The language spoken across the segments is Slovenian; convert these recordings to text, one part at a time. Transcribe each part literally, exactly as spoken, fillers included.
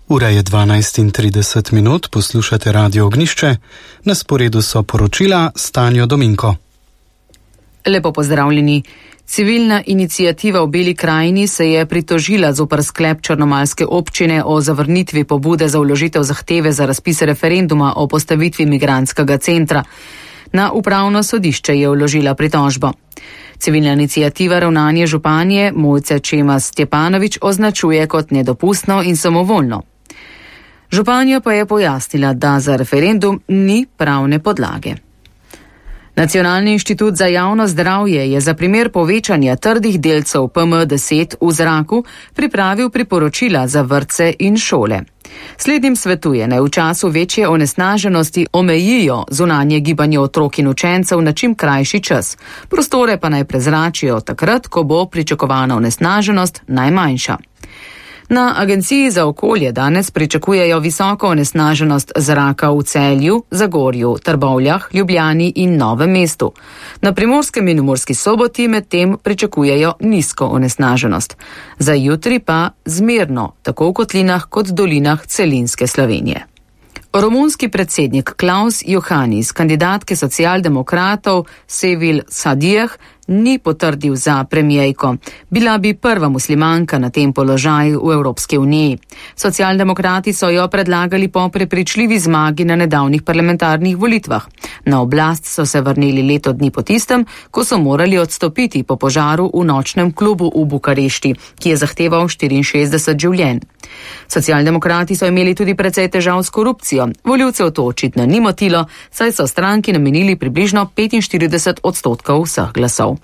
Ura je dvanajst in trideset minut, poslušate Radio Ognišče, na sporedu so poročila s Tanjo Dominko. Lepo pozdravljeni. Civilna iniciativa v Beli krajini se je pritožila zoper sklep črnomaljske občine o zavrnitvi pobude za vložitev zahteve za razpis referenduma o postavitvi migrantskega centra. Na upravno sodišče je vložila pritožbo. Civilna iniciativa ravnanje županje Mojce Čemas Stjepanović označuje kot nedopustno in samovoljno. Županja pa je pojasnila, da za referendum ni pravne podlage. Nacionalni inštitut za javno zdravje je za primer povečanja trdih delcev P M deset v zraku pripravil priporočila za vrtce in šole. Slednjim svetuje, naj v času večje onesnaženosti omejijo zunanje gibanje otrok in učencev na čim krajši čas. Prostore pa naj prezračijo takrat, ko bo pričakovana onesnaženost najmanjša. Na Agenciji za okolje danes pričakujejo visoko onesnaženost zraka v Celju, Zagorju, Trbovljah, Ljubljani in Novem mestu. Na Primorskem in Murski Soboti medtem pričakujejo nizko onesnaženost. Za jutri pa zmerno, tako v kotlinah kot dolinah celinske Slovenije. Romunski predsednik Klaus Iohannis, kandidatke socialdemokratov Sevil Sadijeh, ni potrdil za premijejko. Bila bi prva muslimanka na tem položaju v Evropski uniji. Socialdemokrati so jo predlagali po prepričljivi zmagi na nedavnih parlamentarnih volitvah. Na oblast so se vrnili leto dni po tistem, ko so morali odstopiti po požaru v nočnem klubu v Bukarešti, ki je zahteval štiriinšestdeset življenj. Socialdemokrati so imeli tudi precej težav s korupcijo. Volivcev to očitno ni motilo, saj so stranki namenili približno petinštirideset odstotkov vseh glasov.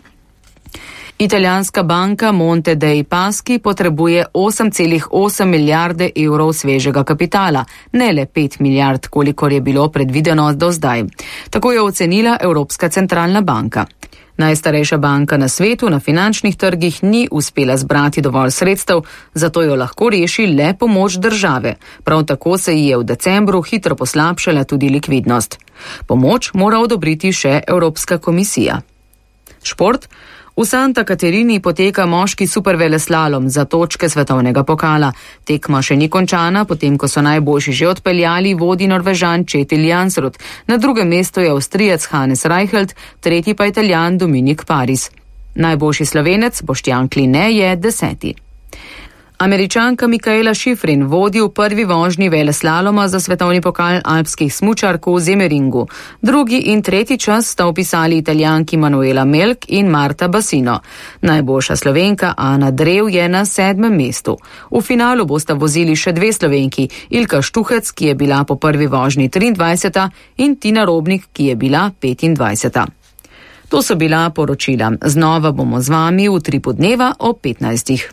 Italijanska banka Monte dei Paschi potrebuje osem celih osem milijarde evrov svežega kapitala, ne le pet milijard, kolikor je bilo predvideno do zdaj. Tako je ocenila Evropska centralna banka. Najstarejša banka na svetu na finančnih trgih ni uspela zbrati dovolj sredstev, zato jo lahko reši le pomoč države. Prav tako se ji je v decembru hitro poslabšala tudi likvidnost. Pomoč mora odobriti še Evropska komisija. Šport. V Santa Caterini poteka moški superveleslalom za točke svetovnega pokala. Tekma še ni končana, potem ko so najboljši že odpeljali, vodi Norvežan Kjetil Jansrud. Na drugem mestu je Avstrijec Hannes Reichelt, tretji pa Italijan Dominik Paris. Najboljši Slovenec Boštjan Kline je deseti. Američanka Mikaela Šifrin vodi v prvi vožnji veleslaloma za svetovni pokal alpskih smučark v Zemeringu. Drugi in tretji čas sta opisali Italijanki Manuela Melk in Marta Basino. Najboljša Slovenka Ana Drev je na sedmem mestu. V finalu bosta vozili še dve Slovenki, Ilka Štuhec, ki je bila po prvi vožnji triindvajseta, in Tina Robnik, ki je bila petindvajseta. To so bila poročila. Znova bomo z vami v tripu dneva ob petnajstih.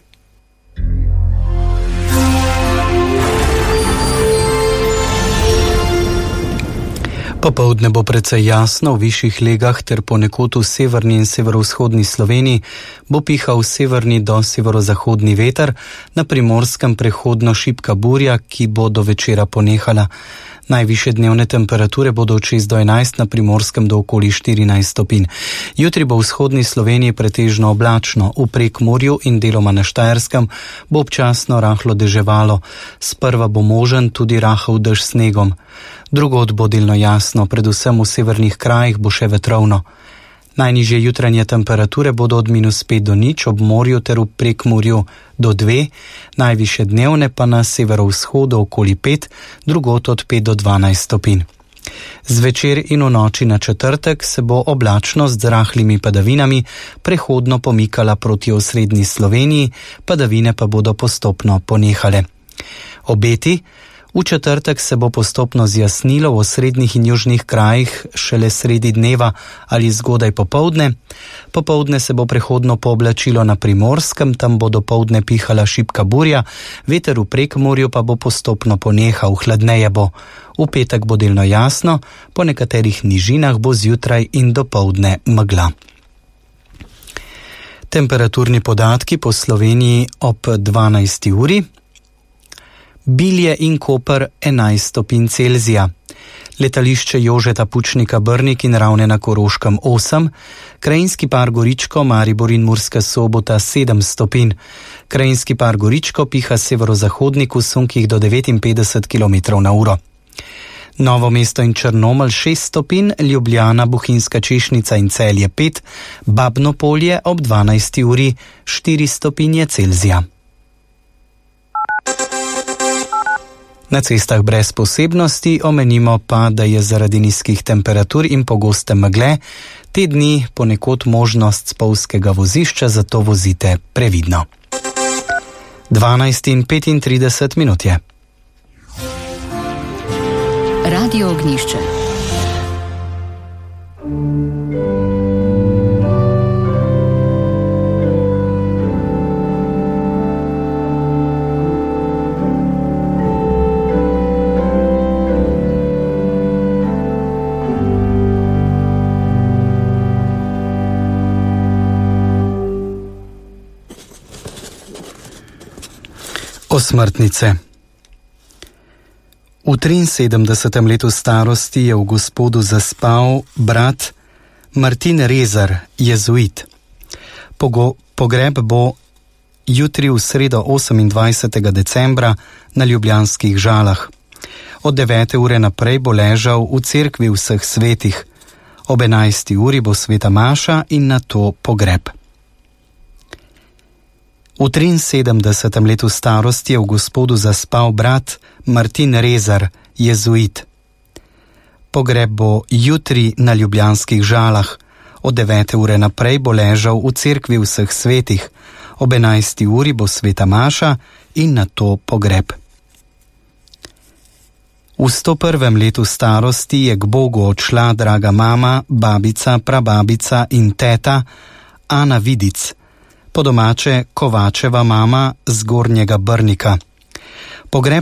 Popoldne bo precej jasno, v višjih legah ter ponekod v severni in severovzhodni Sloveniji bo pihal severni do severozahodni veter, na Primorskem prehodno šibka burja, ki bo do večera ponehala. Najvišje dnevne temperature bodo od šest do enajst, na Primorskem do okoli štirinajst stopinj. Jutri bo v vzhodni Sloveniji pretežno oblačno, v Prekmurju in deloma na Štajerskem bo občasno rahlo deževalo. Sprva bo možen tudi rahel dež s snegom. Drugod bo delno jasno, predvsem v severnih krajih bo še vetrovno. Najnižje jutranje temperature bodo od minus pet do nič, ob morju ter v Prekmurju do dve, najvišje dnevne pa na severovzhodu okoli pet, drugod od pet do dvanajst stopinj. Zvečer in v noči na četrtek se bo oblačnost z rahlimi padavinami prehodno pomikala proti osrednji Sloveniji, padavine pa bodo postopno ponehale. Obeti. V četrtek se bo postopno zjasnilo v osrednjih in južnih krajih šele sredi dneva ali zgodaj popoldne. Popoldne se bo prehodno pooblačilo na Primorskem, tam bo dopoldne pihala šibka burja, veter v Prekmurju pa bo postopno ponehal, hladneje bo. V petek bo delno jasno, po nekaterih nižinah bo zjutraj in dopoldne megla. Temperaturni podatki po Sloveniji ob dvanajsti uri. Bilje in Koper enajst stopinj Celzija, letališče Jožeta Pučnika Brnik in Ravne na Koroškem osem, krajinski par Goričko, Maribor in Murska Sobota sedem stopinj, krajinski par Goričko piha severozahodnik v sunkih do devetinpetdeset kilometrov na uro. Novo mesto in Črnomelj šest stopinj, Ljubljana, Bohinjska Češnica in Celje pet, Babno Polje ob dvanajsti uri štiri stopinje Celzija. Na cestah brez posebnosti omenimo pa, da je zaradi nizkih temperatur in pogoste megle te dni ponekod možnost spolzkega vozišča, zato vozite previdno. dvanajst in petintrideset minut je. Radio Ognjišče. Osmrtnice. V triinsedemdesetem letu starosti je v Gospodu zaspal brat Martin Rezar, jezuit. Pogo, pogreb bo jutri v sredo osemindvajsetega decembra na Ljubljanskih Žalah. Od devete ure naprej bo ležal v cerkvi vseh svetih. Ob enajsti uri bo sveta maša in nato pogreb. V triinsedemdesetem letu starosti je v Gospodu zaspal brat Martin Rezar, jezuit. Pogreb bo jutri na Ljubljanskih Žalah. Od devete ure naprej bo ležal v cerkvi vseh svetih. Ob enajsti uri bo sveta maša in nato pogreb. V sto prvem letu starosti je k Bogu odšla draga mama, babica, prababica in teta Ana Vidic, po domače Kovačeva mama z Gornjega Brnika. Pogreb